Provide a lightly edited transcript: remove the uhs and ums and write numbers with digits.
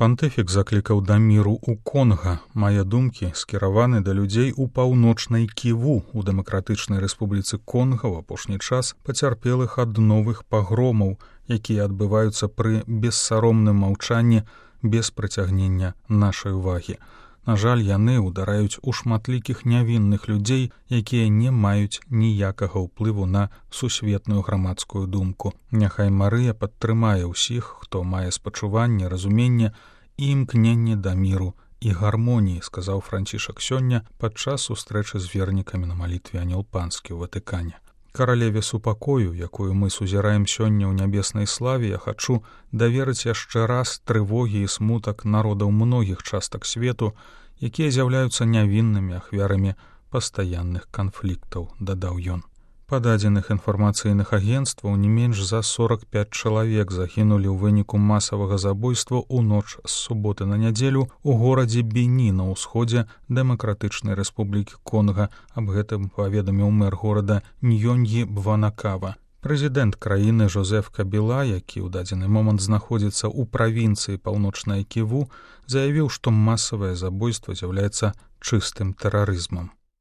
Пантыфік заклікаў да міру ў Конга. Мае думкі скіраваны да людзей у паўночнай Ківу у Дэмакратычнай Рэспубліцы Конга ў апошні час пацярпелых ад новых пагромаў, якія адбываюцца пры бессаромным маўчанні без прыцягнення нашай увагі. На жаль, яны ўдараюць у шматлікіх нявінных людзей, якія не маюць ніякага ўплыву на сусветную грамадскую думку. Няхай Марыя падтрымае ўсіх, хто мае спачуванне, разуменне і імкненне да міру і гармоніі, сказаў Францішак сёння падчас сустрэчы з вернікамі на малітве Анёл Панскі ў Ватыкане. Каралеве супакою, якую мы сузіраем сёння ў нябеснай славе, я хачу даверыць яшчэ раз трывогі і смутак народаў многіх частак свету, якія з'яўляюцца нявіннымі ахвярамі пастаянных канфліктаў, дадаў ён. Па дадзеных інфармацыйных агенцтваў не менш за 45 чалавек загінулі ў выніку масавага забойства ў ноч з суботы на нядзелю ў горадзе Бені на ўсходзе Дэмакратычнай Рэспублікі Конга. Аб гэтым паведаміў мэр горада Ньёньі Бванакава. Прэзідэнт краіны Жозеф Кабіла, які ў дадзены момант знаходзіцца ў правінцыі Паўночная Ківу, заявіў, што масавае забойства з'яўляецца чыстым тэрарызмам.